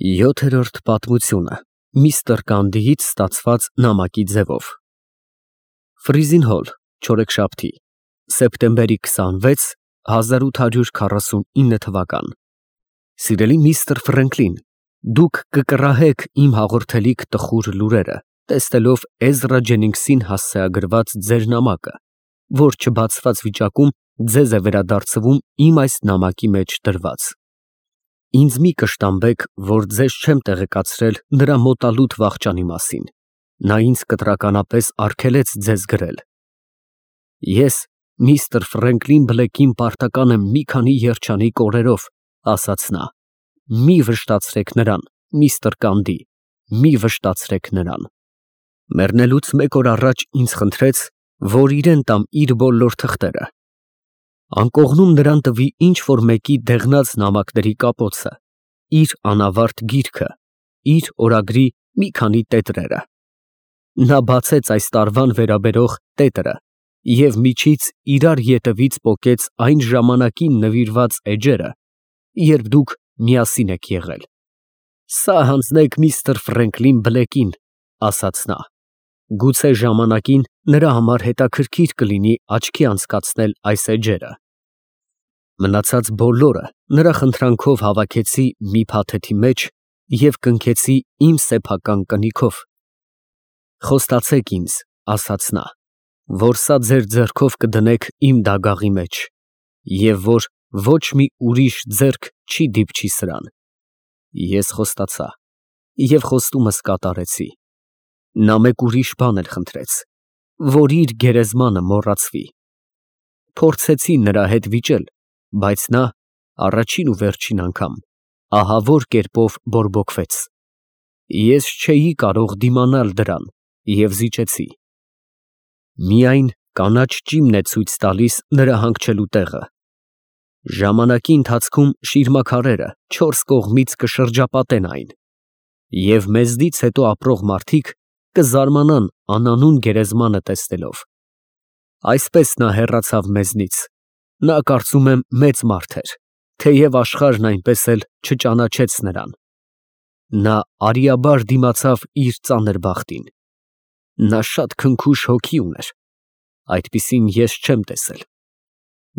Յոթերորդ պատմությունը Միստր Կանդիից ստացված նամակի ձևով Ֆրիզին Հոլ, չորեքշաբթի, սեպտեմբերի 26, 1849 թվական Սիրելի միստր Ֆրենկլին, դուք կկռահեք իմ հաղորդելիք տխուր լուրերը, տեսնելով Էզրա Ջենինգսին հասցեագրված ձեր նամակը, որ չբացված վիճակում ձեզ է վերադարձվում իմ այս նամակի մեջ դրված։ Ինձ մի կշտամբեք, որ ձեզ չեմ տեղեկացրել նրա մոտալուտ վախճանի մասին, նա ինձ կտրականապես արգելեց ձեզ գրել։ Ես միստր Ֆրենկլին Բլեքին պարտական եմ մի քանի երջանիկ օրերով, ասաց նա, մի վշտացրեք նրան, միստր Կանդի, մի վշտացրեք նրան։ Մեռնելուց մեկ օր առաջ ինձ խնդրեց, որ իրեն տամ իր բոլոր թղթերը։ Անկողնում նրան տվի ինչ-որ մեկի դեղնած նամակների կապոցը, իր անավարտ գիրքը, իր օրագրի մի քանի տետրերը։ Նա բացեց այս տարվան վերաբերող տետրը և միջից իրար ետևից պոկեց այն ժամանակին նվիրված էջերը, երբ դուք միասին եք եղել։ Սա հանձնեք միստր Ֆրենկլին Բլեքին, ասաց նա։ Գուցե ժամանակին նրա համար հետաքրքիր կլինի աչքի անցկացնել այս էջերը։ Մնացած բոլորը նրա խնդրանքով հավաքեցի մի փաթեթի մեջ և կնքեցի իմ սեփական կնիքով։ Խոստացեք ինձ, ասաց նա, որ սա ձեր ձեռքով կդնեք իմ դագաղի մեջ և որ ոչ մի ուրիշ ձեռք չի դիպչի սրան։ Ես խոստացա և խոստումս կատարեցի։ Նա մեկ ուրիշ բան էլ խնդրեց, որ իր գերեզմանը մոռացվի։ Փորձեցի նրա հետ վիճել, բայց նա առաջին ու վերջին անգամ ահավոր կերպով բորբոքվեց։ Ես չէի կարող դիմանալ դրան և զիջեցի։ Միայն կանաչ ճիմն է ցույց տալիս նրա հանգչելու տեղը։ Ժամանակի ընթացքում շիրմաքարերը չորս կողմից կշրջապատեն այն, և մեզնից հետո ապրող մարդիկ կզարմանան անանուն գերեզմանը տեսնելով։ Այսպես նա հեռացավ մեզնից։ Նա կարծում եմ մեծ մարդ էր, թեև աշխարհն այնպես էլ չճանաչեց նրան։ Նա արիաբար դիմացավ իր ծանր բախտին։ Նա շատ քնքուշ հոգի ուներ, այդպիսին ես չեմ տեսել։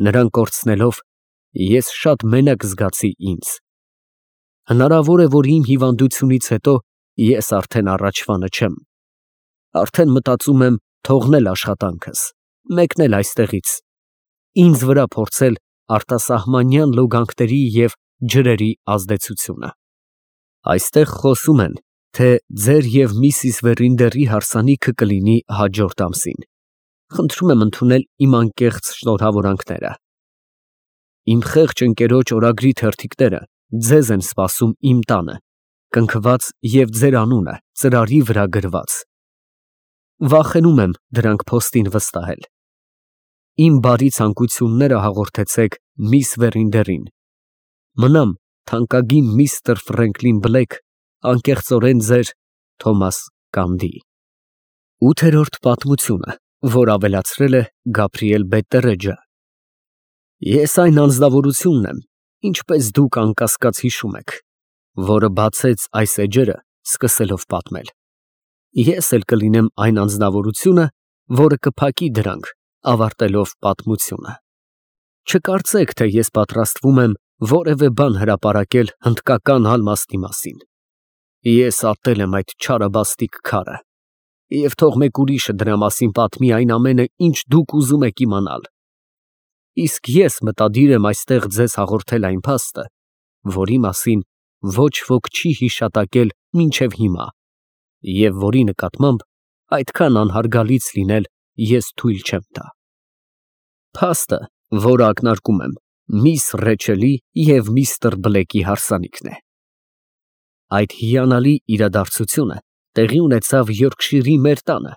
Նրան կորցնելով, ես շատ մենակ զգացի ինձ։ Հնարավոր է, որ իմ հիվանդությունից հետո ես արդեն առաջվանը չեմ։ Արդեն մտածում եմ թողնել աշխատանքս, մեկնել այստեղից, ինձ վրա փորձել արտասահմանյան լոգանքների և ջրերի ազդեցությունը։ Այստեղ խոսում են, թե ձեր և միսիս Վերինդերի հարսանիքը կլինի հաջորդ ամսին։ Խնդրում եմ ընդունել իմ անկեղծ շնորհավորանքները։ Իմ խեղճ ընկերոջ օրագրի թերթիկները ձեզ են սպասում իմ տանը, կնքված և ձեր անունը ծրարի վրա գրված։ Վախենում եմ դրանք փոստին վստահել։ Իմ բարի ցանկությունները հաղորդեցեք միս Վերինդերին։ Մնամ թանկագին միստր Ֆրենկլին Բլեք, անկեղծորեն ձեր Թոմաս Կանդի։ Ութերորդ պատմությունը, որ ավելացրել է Գաբրիել Բետտերեջը։ Ես այն անձնավորությունն եմ, ինչպես դուք անկասկած հիշում եք, որը բացեց այս էջերը, սկսելով պատմել։ Ես էլ կլինեմ այն անձնավորությունը, որը կփակի դրանք, ավարտելով պատմությունը։ Չկարծեք, թե ես պատրաստվում եմ որևէ բան հրապարակել հնդկական հալմաստի մասին։ Ես ատել եմ այդ չարաբաստիկ քարը, և թող մեկ ուրիշը դրա մասին պատմի այն ամենը, ինչ դուք ուզում եք իմանալ։ Իսկ ես մտադիր եմ այստեղ ձեզ հաղորդել այն փաստը, որի մասին ոչ ոք չի հիշատակել մինչև հիմա, և որի նկատմամբ այդքան անհարգալից լինել ես թույլ չեմ տա։ Փաստը, որը ակնարկում եմ, միս Ռեչելի և միստր Բլեքի հարսանիքն է։ Այդ հիանալի իրադարձությունը տեղի ունեցավ Յորքշիրի մեր տանը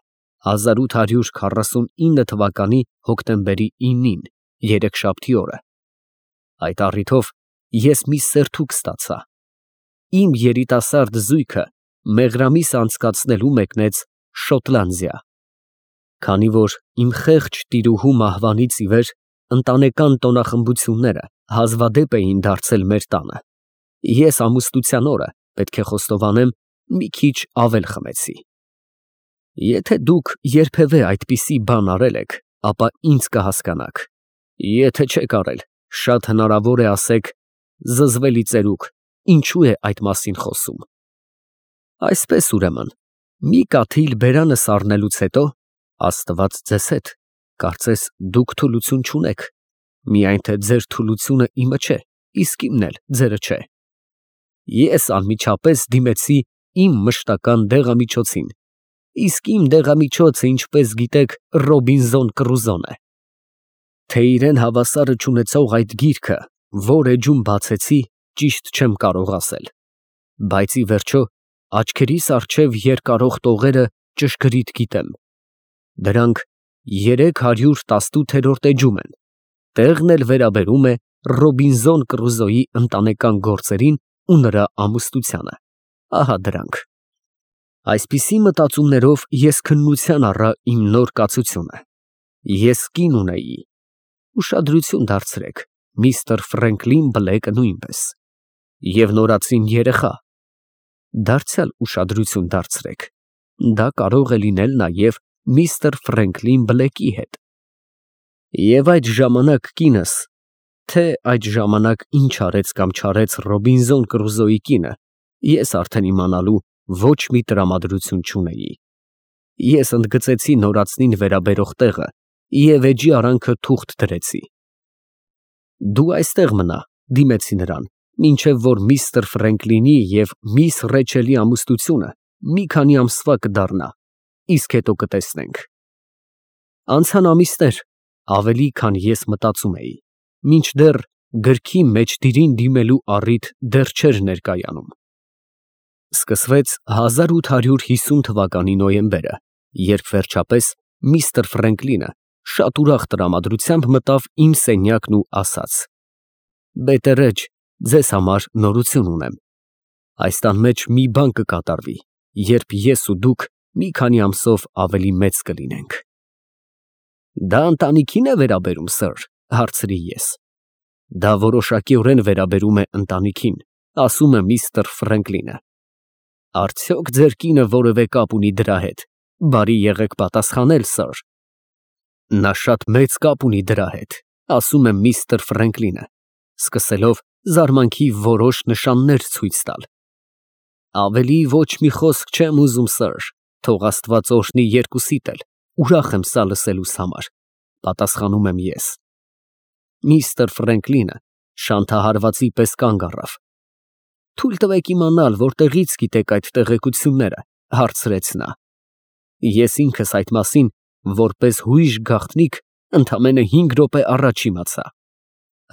1849 թվականի հոկտեմբերի 9-ին, երեքշաբթի օրը։ Այդ առիթով ես մի սերթուկ ստացա։ Իմ երիտասարդ զույգը մեղրամիս անցկացնելու մեկնեց Շոտլանդիա։ Քանի որ իմ խեղճ տիրուհու մահվանից ի վեր ընտանեկան տոնախմբությունները հազվադեպ էին դարձել մեր տանը, ես ամուսնության օրը պետք է խոստովանեմ, մի քիչ ավել խմեցի։ Եթե դուք երբևէ այդպիսի բան արել եք, ապա ինձ կհասկանաք։ Եթե չեք արել, շատ հնարավոր է ասեք. զզվելի ծերուկ, ինչու է այդ մասին խոսում։ Այսպես ուրեմն, մի կաթիլ բերանս առնելուց հետո, Աստված ձեզ հետ, կարծես դուք թուլություն չունեք, միայն թե ձեր թուլությունը իմը չէ, իսկ իմն էլ ձերը չէ։ Ես անմիջապես դիմեցի իմ մշտական դեղամիջոցին, իսկ իմ դեղամիջոցը, ինչպես գիտեք, Ռոբինզոն Կռուզոն է։ Թե իրեն հավասարը չունեցող այդ գիրքը որ էջում բացեցի, ճիշտ չեմ կարող ասել, բայց ի վերջո աչքերիս առջև երկարող տողերը ճշգրիտ գիտեմ։ Դրանք 318-րդ էջում են, տեղն էլ վերաբերում է Ռոբինզոն Կռուզոյի ընտանեկան գործերին ու նրա ամուսնությանը։ Ահա դրանք։ Այսպիսի մտածումներով ես քննության առա իմ նոր կացությունը։ Ես կին ունեի։ Ուշադրություն դարձրեք, միստր Ֆրենկլին Բլեքը նույնպես։ Եվ նորածին երեխա։ Դարձյալ ուշադրություն դարձրեք, դա կարող է լինել նաև միստր Ֆրենկլին Բլեքի հետ։ Եվ այդ ժամանակ կինս, թե այդ ժամանակ ինչ արեց կամ չարեց Ռոբինզոն Կռուզոյի կինը, ես արդեն իմանալու ոչ մի տրամադրություն չունեի։ Ես ընդգծեցի նորածնին վերաբերող տեղը և էջի արանքը թուղթ դրեցի։ Դու այստեղ մնա, դիմեցի նրան, մինչև որ միստր Ֆրենկլինի և միս Ռեչելի ամուսնությունը մի քանի ամսվա կդառնա, իսկ հետո կտեսնենք։ Անցան ամիսներ, ավելի քան ես մտածում էի, մինչդեռ գրքի մեջտիրին դիմելու առիթ դեռ չէր ներկայանում։ Սկսվեց 1850 թվականի նոյեմբերը, երբ վերջապես միստր Ֆրենկլինը շատ ուրախ տրամադրությամբ մտավ իմ սենյակն ու ասաց. «Բետերեջ, ձեզ համար նորություն ունեմ։ Այս տան մեջ մի բան կկատարվի, երբ ես ու դուք մի քանի ամսով ավելի մեծ կլինենք»։ Դա ընտանիքին է վերաբերում, սըր, հարցրի ես։ Դա որոշակիորեն վերաբերում է ընտանիքին, ասում է միստր Ֆրենկլինը։ Արդյոք ձեր կինը որևէ կապ ունի դրա հետ, բարի եղեք պատասխանել, սըր։ Նա շատ մեծ կապ ունի դրա հետ, ասում է միստր Ֆրենկլինը, սկսելով զարմանքի որոշ նշաններ ցույց տալ։ Ավելի ոչ մի խոսք չեմ ուզում, սըր, թող Աստված օրհնի երկուսիդ էլ, ուրախ եմ սա լսելուս համար, պատասխանում եմ ես։ Միստր Ֆրենկլինը շանթահարվածի պես կանգ առավ։ Թույլ տվեք իմանալ, որտեղից գիտեք այդ տեղեկությունները, հարցրեց նա։ Ես ինքս այդ մասին, որպես հույժ գաղտնիք, ընդամենը 5 րոպե առաջ իմացա։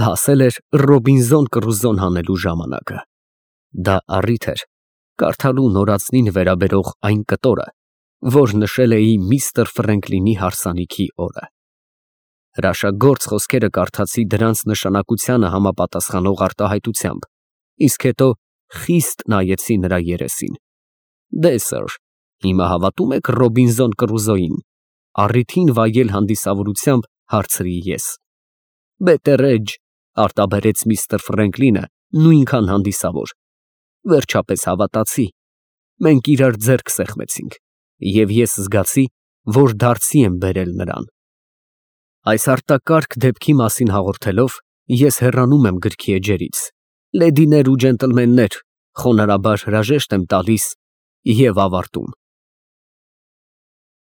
Հասել էր Ռոբինզոն Կռուզոն հանելու ժամանակը։ Դա առիթ էր կարդալու նորածնին վերաբերող այն կտորը, որ նշել էի միստր Ֆրենկլինի հարսանիքի օրը։ Հրաշագործ խոսքերը կարդացի դրանց նշանակությանը համապատասխանող արտահայտությամբ, իսկ հետո խիստ նայեցի նրա երեսին։ Դե սըր, հիմա հավատում եք Ռոբինզոն Կռուզոյին, առիթին վայել հանդիսավորությամբ հարցրի ես։ Բետերեջ, արտաբերեց միստր Ֆրենկլինը նույնքան հանդիսավոր։ Վերջապես հավատացի։ Մենք իրար ձեռք սեղմեցինք, և ես զգացի, որ դարձի եմ բերել նրան։ Այս արտակարգ դեպքի մասին հաղորդելով, ես հեռանում եմ գրքի էջերից։ Լեդիներ ու ջենտլմեններ, խոնարհաբար հրաժեշտ եմ տալիս և ավարտում։